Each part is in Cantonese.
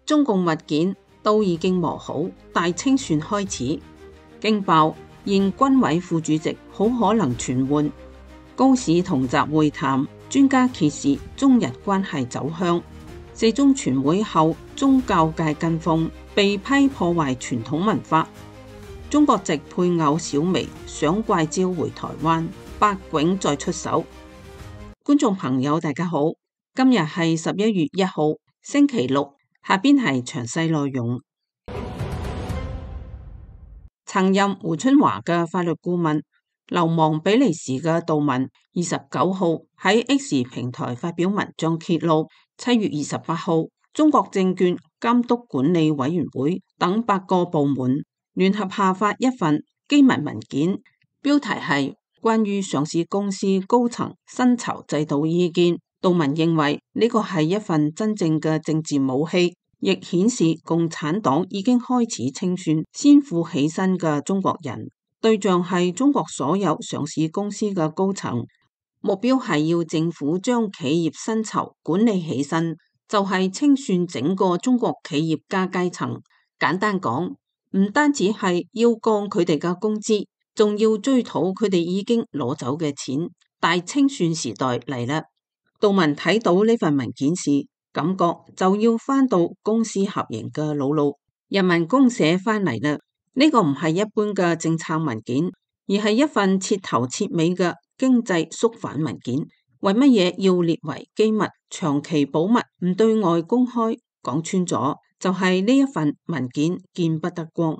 中共物件都已經磨好，大清算開始。驚爆現軍委副主席好可能傳喚。高市同習會談，專家揭示中日關係走向。四中全會後，宗教界跟風，被批破壞傳統文化。中國籍配偶小薇想怪招回台灣，百囧再出手。觀眾朋友大家好，今日係11月1號星期六，下邊係詳細內容。曾任胡春華嘅法律顧問、流亡比利時嘅杜汶29號喺 X 平台發表文章揭露，7月28號中國證券監督管理委員會等8個部門聯合下發一份機密文件，標題係關於上市公司高層薪酬制度意見。杜汶認為呢個係一份真正嘅政治武器，亦顯示共產黨已經開始清算先富起身嘅中國人，對象係中國所有上市公司嘅高層，目標係要政府將企業薪酬管理起身，就係清算整個中國企業家階層。簡單講，唔單止係要降佢哋嘅工資，仲要追討佢哋已經攞走嘅錢。大清算時代嚟啦！杜汶睇到呢份文件時，感覺就要翻到公私合營嘅老路。人民公社翻嚟啦！呢個唔係一般嘅政策文件，而係一份徹頭徹尾嘅經濟肅反文件。為乜嘢要列為機密、長期保密、唔對外公開？講穿咗，就係呢一份文件見不得光，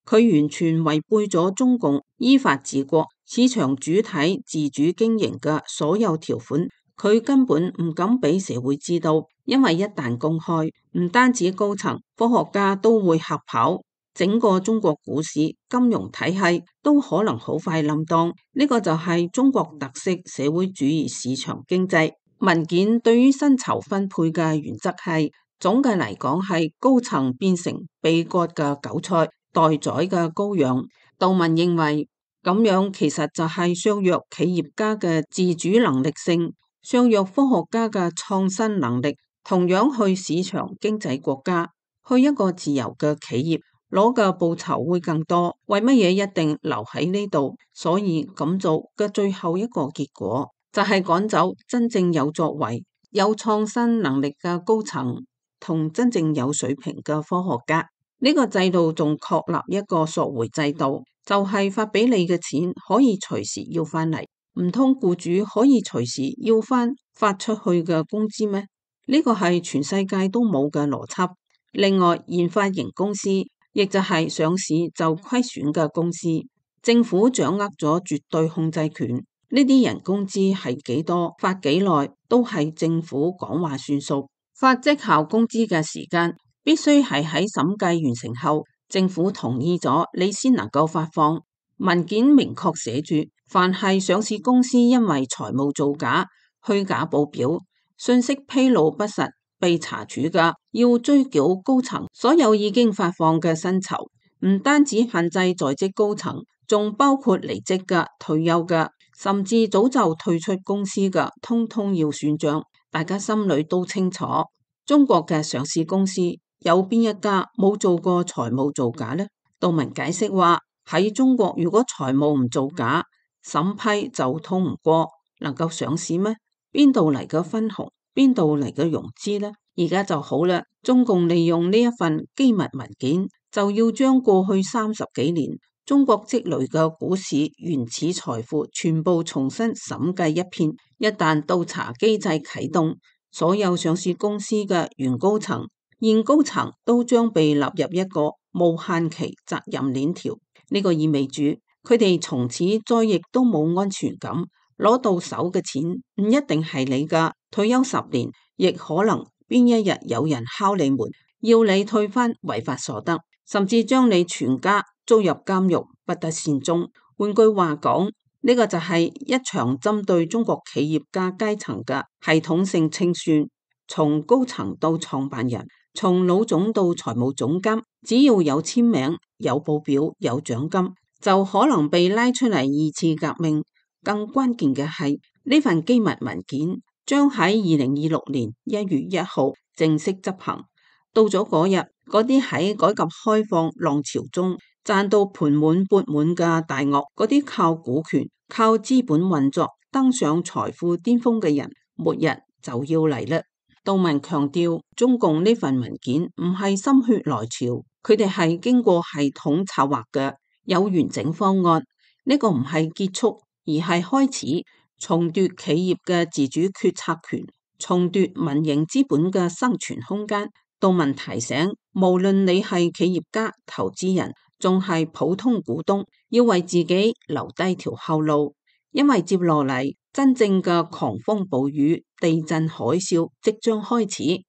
佢完全違背咗中共依法治國、市場主體自主經營嘅所有條款。佢根本唔敢俾社會知道，因為一旦公開，唔單止高層、科學家都會嚇跑，整個中國股市、金融體系都可能好快冧檔。呢個就係中國特色社會主義市場經濟。文件對於薪酬分配嘅原則係，總嘅嚟講係高層變成被割嘅韭菜、待宰嘅羔羊。杜汶認為咁樣其實就係削弱企業家嘅自主能力性，削弱科學家嘅創新能力。同樣去市場經濟國家，去一個自由嘅企業，攞嘅報酬會更多。為乜嘢一定留喺呢度？所以咁做嘅最後一個結果就係趕走真正有作為、有創新能力嘅高層同真正有水平嘅科學家。呢個制度仲確立一個索回制度，就係發俾你嘅錢可以隨時要翻嚟。唔通僱主可以隨時要翻發出去嘅工資咩？呢個係全世界都冇嘅邏輯。另外，研發型公司亦就係上市就虧損嘅公司，政府掌握咗絕對控制權。呢啲人工資係幾多、發幾耐，都係政府講話算數。發績效工資嘅時間必須係喺審計完成後，政府同意咗，你先能夠發放。文件明確寫住，凡係上市公司因為財務造假、虛假報表、信息披露不實被查處嘅，要追繳高層所有已經發放嘅薪酬。唔單止限制在職高層，仲包括離職嘅、退休嘅，甚至早就退出公司嘅，通通要算賬。大家心裏都清楚，中國嘅上市公司有邊一家冇做過財務造假呢？杜汶解釋話，喺中國如果財務唔造假，審批就通唔過，能夠上市咩？邊度嚟嘅分紅？邊度嚟嘅融資呢？而家就好啦，中共利用呢一份機密文件，就要將過去30幾年中國積累嘅股市原始財富全部重新審計一遍。一旦倒查機制啟動，所有上市公司嘅原高層、現高層都將被納入一個無限期責任鏈條。呢個意味住佢哋從此再亦都冇安全感。攞到手嘅錢唔一定係你㗎，退休10年亦可能邊一日有人敲你門，要你退翻違法所得，甚至將你全家捉入監獄，不得善終。換句話講，呢個就係一場針對中國企業家階層嘅系統性清算，從高層到創辦人，從老總到財務總監，只要有簽名、有報表、有獎金，就可能被拉出嚟二次革命。更關鍵嘅係，呢份機密文件將喺2026年1月1號正式執行。到咗嗰日，嗰啲喺改革開放浪潮中賺到盆滿缽滿嘅大鱷，嗰啲靠股權、靠資本運作登上財富巔峰嘅人，末日就要嚟啦。杜文強調，中共呢份文件唔係心血來潮，佢哋係經過系統策劃嘅，有完整方案。呢個唔係結束，而係開始，重奪企業嘅自主決策權，重奪民營資本嘅生存空間。杜文提醒，無論你係企業家、投資人，仲係普通股東，要為自己留低條後路，因為接落嚟真正嘅狂風暴雨、地震海嘯即將開始。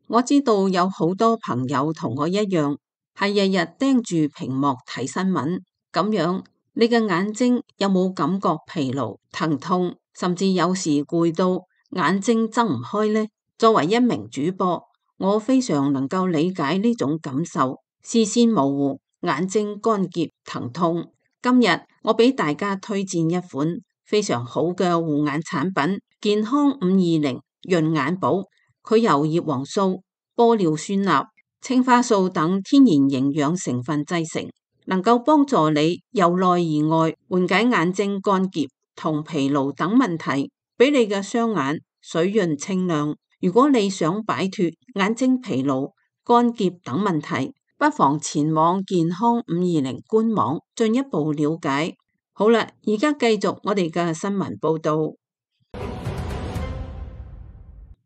我知道有好多朋友同我一樣，係日日盯住屏幕睇新聞，咁樣你嘅眼睛有冇感覺疲勞、疼痛，甚至有時攰到眼睛睜唔開呢？作為一名主播，我非常能夠理解呢種感受，視線模糊、眼睛乾澀、疼痛。今日我俾大家推薦一款非常好嘅護眼產品，健康520潤眼寶。佢由葉黃素、玻尿酸鈉、青花素等天然營養成分製成，能夠幫助你由內而外緩解眼睛乾澀同疲勞等問題，俾你嘅雙眼水潤清亮。如果你想擺脫眼睛疲勞、乾澀等問題，不妨前往健康520官網進一步了解。好啦，而家繼續我哋嘅新聞報道。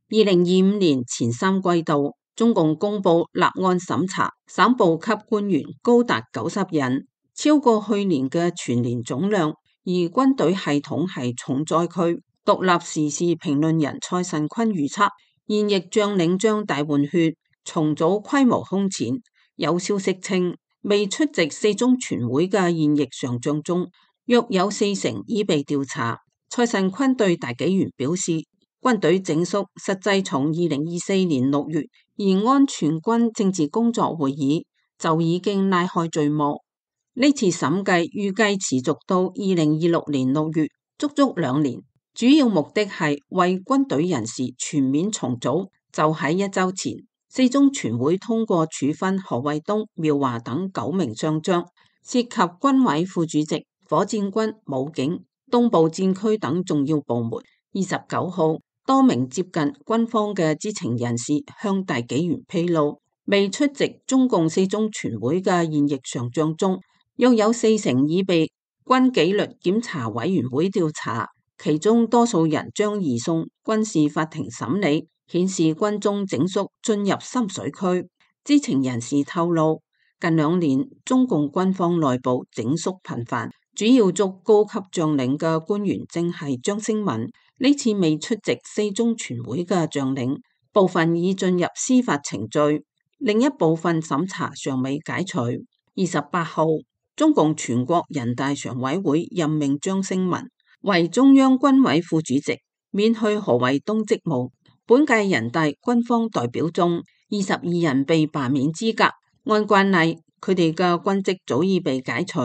2025年前3季度，中共公布立案審查省部級官員高達90人，超過去年嘅全年總量。而軍隊系統係重災區。獨立時事評論人蔡慎坤預測，現役將領將大換血，重組規模空前。有消息稱，未出席4中全會嘅現役上將中，約有40%已被調查。蔡慎坤對大紀元表示，軍隊整肅實際從2024年6月延安全軍政治工作會議就已經拉開序幕。呢次審計預計持續到2026年6月，足足2年。主要目的係為軍隊人事全面重組。就喺1週前，4中全會通過處分何衛東、苗華等9名上將，涉及軍委副主席、火箭軍、武警、東部戰區等重要部門。29號，多名接近軍方嘅知情人士向大紀元披露，未出席中共4中全會嘅現役上將中，約有40%已被軍紀律檢查委員會調查。其中多數人將移送軍事法庭審理，顯示軍中整肅進入深水區。知情人士透露，近2年中共軍方內部整肅頻繁，主要捉高級將領嘅官員正係張升文。呢次未出席4中全會嘅將領，部分已進入司法程序，另一部分審查尚未解除。28號，中共全國人大常委會任命張升文為中央軍委副主席，免去何衛東職務。本屆人大軍方代表中，22人被罷免資格。按慣例，佢哋嘅軍職早已被解除。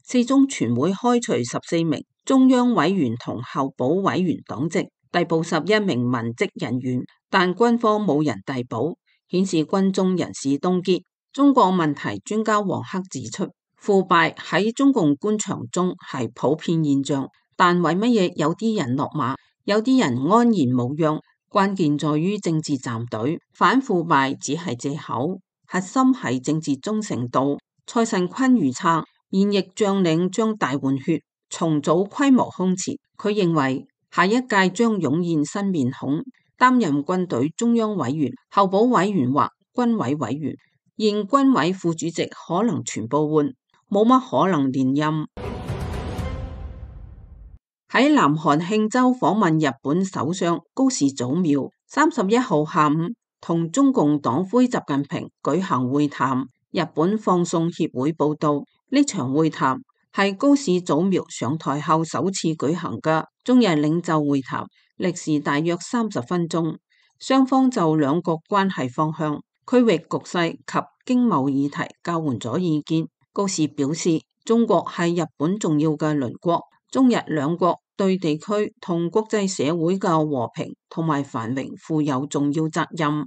4中全會開除14名中央委員同候補委員黨籍，逮捕11名文職人員，但軍方冇人逮捕，顯示軍中人事凍結。中國問題專家王克指出，腐敗喺中共官場中係普遍現象。但為乜嘢有啲人落馬，有啲人安然無恙？關鍵在於政治站隊，反腐敗只係借口，核心係政治忠誠度。蔡慎坤預測，現役將領將大換血，重組規模空前。佢認為下一屆將湧現新面孔，擔任軍隊中央委員、候補委員或軍委委員。現軍委副主席可能全部換，冇乜可能連任。喺南韓慶州訪問日本首相高市早苗31號下午同中共黨魁習近平舉行會談。日本放送協會報道，呢場會談係高市早苗上台後首次舉行嘅中日領袖會談，歷時大約30分鐘，雙方就兩國關係方向、區域局勢及經貿議題交換咗意見。高市表示，中國係日本重要嘅鄰國，中日兩國對地區同國際社會嘅和平同埋繁榮負有重要責任。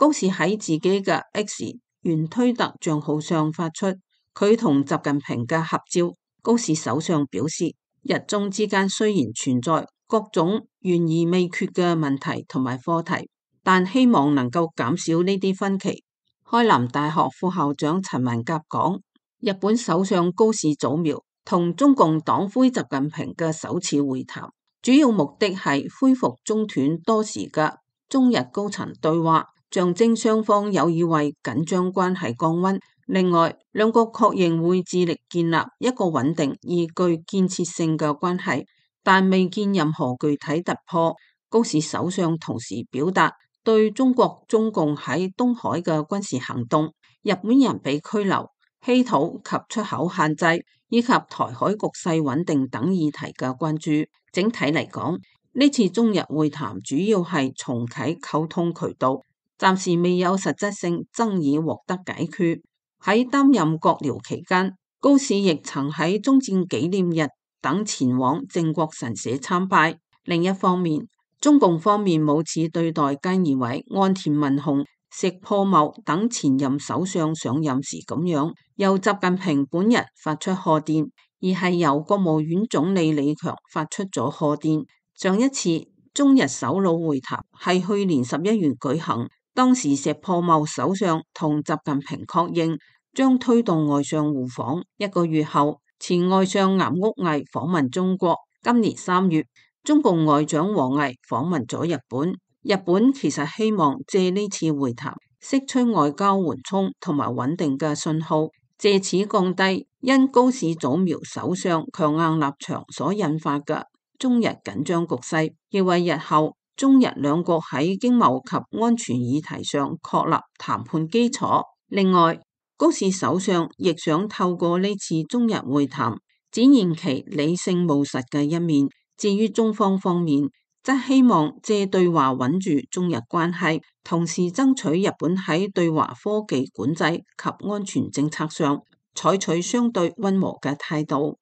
高士喺自己嘅 X 原推特賬號上發出佢同習近平嘅合照。高士首相表示，日中之間雖然存在各種懸而未決嘅問題同埋課題，但希望能夠減少呢啲分歧。開南大學副校長陳文甲講，日本首相高市早苗同中共黨魁習近平嘅首次會談，主要目的係恢復中斷多時嘅中日高層對話，象徵雙方有意為緊張關係降溫。另外，兩國確認會致力建立一個穩定而具建設性嘅關係，但未見任何具體突破。高市首相同時表達對中國中共喺東海嘅軍事行動、日本人被拘留、稀土及出口限制以及台海局勢穩定等議題嘅關注。整體嚟講，呢次中日會談主要係重啟溝通渠道，暫時未有實質性爭議獲得解決。喺擔任閣僚期間，高市亦曾喺終戰紀念日等前往靖國神社參拜。另一方面，中共方面冇似對待菅義偉、岸田文雄、石破茂等前任首相上任時咁樣，由習近平本人發出賀電，而係由國務院總理李強發出咗賀電。上一次中日首腦會談係去年11月舉行。當時石破茂首相同習近平確認將推動外相互訪。一個月後，前外相岩屋毅訪問中國。今年3月，中共外長王毅訪問咗日本。日本其實希望借呢次會談釋出外交緩衝同埋穩定嘅信號，借此降低因高市早苗首相強硬立場所引發嘅中日緊張局勢，亦為日後中日兩國喺經貿及安全議題上確立談判基礎。另外，高市首相亦想透過呢次中日會談展現其理性務實嘅一面。至於中方方面，則希望借對話穩住中日關係，同時爭取日本喺對華科技管制及安全政策上採取相對溫和嘅態度。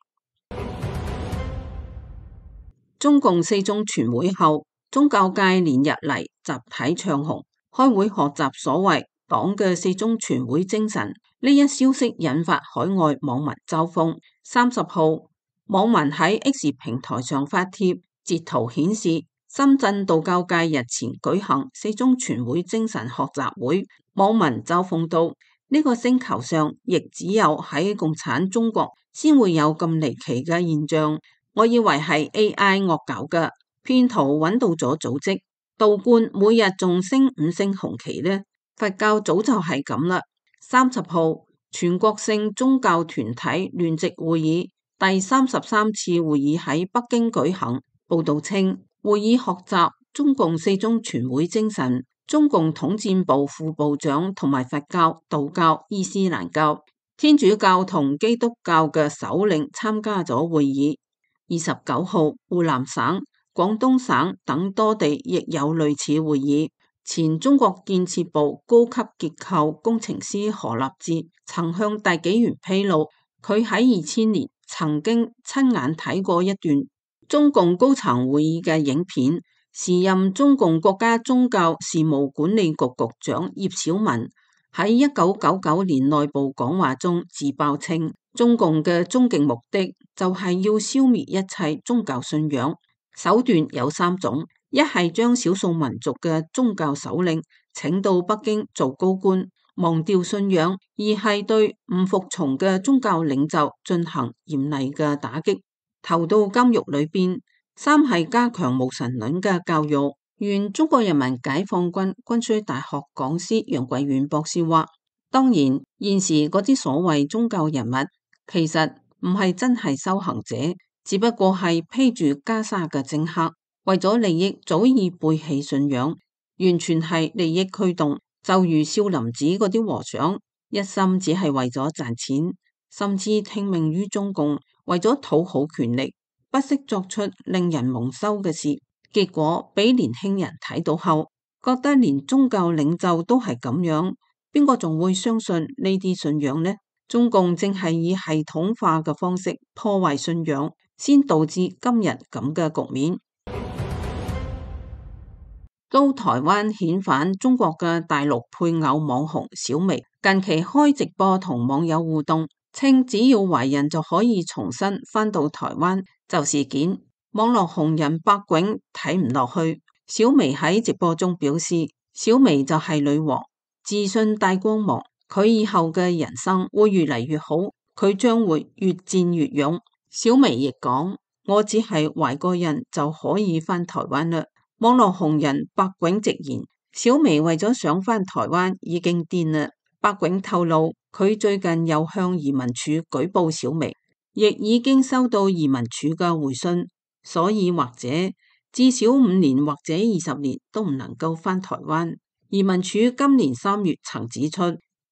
中共四中全會後，宗教界連日嚟集體唱紅，開會學習所謂黨嘅四中全會精神。呢一消息引發海外網民嘲諷。30號，網民喺 X 平台上發帖，截圖顯示深圳道教界日前舉行四中全會精神學習會。網民嘲諷道：呢個星球上亦只有喺共產中國先會有咁離奇嘅現象。我以為係 AI 惡搞嘅，騙徒揾到咗組織，道觀每日仲升5星紅旗呢。佛教早就係咁啦。30號，全國性宗教團體聯席會議第33次會議喺北京舉行。報道稱，會議學習中共四中全會精神，中共統戰部副部長同埋佛教、道教、伊斯蘭教、天主教同基督教嘅首領參加咗會議。29號，湖南省、廣東省等多地亦有類似會議。前中國建設部高級結構工程師何立志曾向大紀元披露，佢喺2000年曾經親眼睇過一段中共高層會議嘅影片。時任中共國家宗教事務管理局局長葉小文喺1999年內部講話中自爆稱，中共嘅終極目的就係要消滅一切宗教信仰，手段有3種：一係將少數民族嘅宗教首領請到北京做高官，忘掉信仰；二係對唔服從嘅宗教領袖進行嚴厲嘅打擊，投到監獄裏邊；三係加強無神論嘅教育。原中國人民解放軍軍需大學講師楊貴遠博士話：當然，現時嗰啲所謂宗教人物，其實唔係真係修行者，只不過係披住袈裟嘅政客，為咗利益早已背棄信仰，完全係利益驅動。就如少林寺嗰啲和尚，一心只係為咗賺錢，甚至聽命於中共，為咗討好權力，不惜作出令人蒙羞嘅事。結果俾年輕人睇到後，覺得連宗教領袖都係咁樣，邊個仲會相信呢啲信仰呢？中共正係以系統化嘅方式破壞信仰，先導致今日咁嘅局面。遭台灣遣返中國嘅大陸配偶網紅小薇，近期開直播同網友互動，稱只要懷孕就可以重新返到台灣就事件。網絡紅人白囧睇唔落去，小薇喺直播中表示，小薇就係女王，自信帶光芒，佢以後嘅人生會越嚟越好，佢將會越戰越勇。小薇亦講，我只係懷個孕就可以返台灣啦。網絡紅人白囧直言，小薇為咗想返台灣已經癲啦。白囧透露，佢最近又向移民署舉報小薇，亦已經收到移民署嘅回信，所以或者至少5年或者20年都唔能夠返台灣。移民署今年3月曾指出，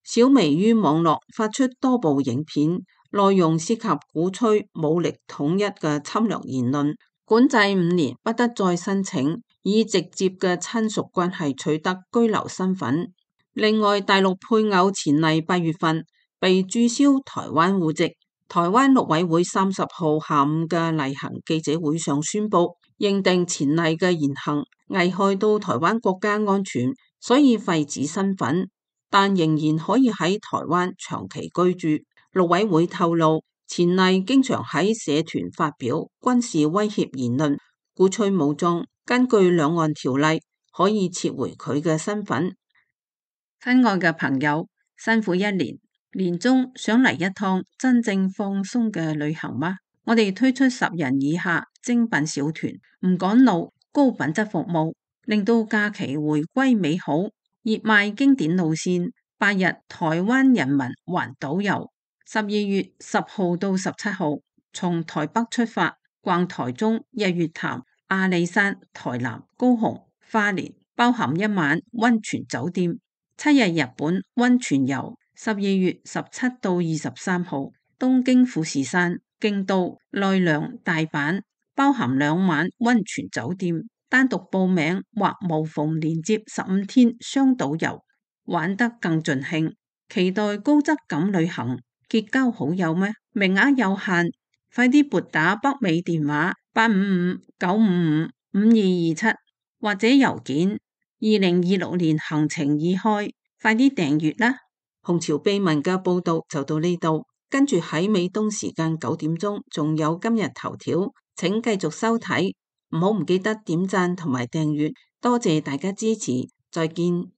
小薇於網絡發出多部影片，內容涉及鼓吹武力統一嘅侵略言論，管制5年，不得再申請以直接嘅親屬關係取得居留身份。另外，大陸配偶錢麗8月份被註銷台灣戶籍。台灣陸委會30號下午嘅例行記者會上宣布，認定錢麗嘅言行危害到台灣國家安全，所以廢止身份，但仍然可以喺台灣長期居住。陸委會透露，錢麗經常喺社團發表軍事威脅言論，鼓吹武裝。根據兩岸條例，可以撤回佢嘅身份。親愛嘅朋友，辛苦一年，年終想嚟一趟真正放鬆嘅旅行嗎？我哋推出10人以下精品小團，唔趕路，高品質服務，令到假期回歸美好。熱賣經典路線，8日台灣人民環島遊，12月10號到17號，從台北出發，逛台中、日月潭、阿里山、台南、高雄、花蓮，包含1晚溫泉酒店，7日日本溫泉遊，12月17到23號，東京富士山、京都、奈良、大阪，包含2晚溫泉酒店，單獨報名或無縫連接15天雙島遊，玩得更盡興。期待高質感旅行，結交好友咩？名額有限，快啲撥打北美電話855-955-5227或者郵件2026年行程已開，快啲訂閱啦！紅潮秘聞嘅報道就到呢度，跟住喺美東時間9點鐘仲有今日頭條，請繼續收睇，唔記得點讚同埋訂閱，多謝大家支持，再見。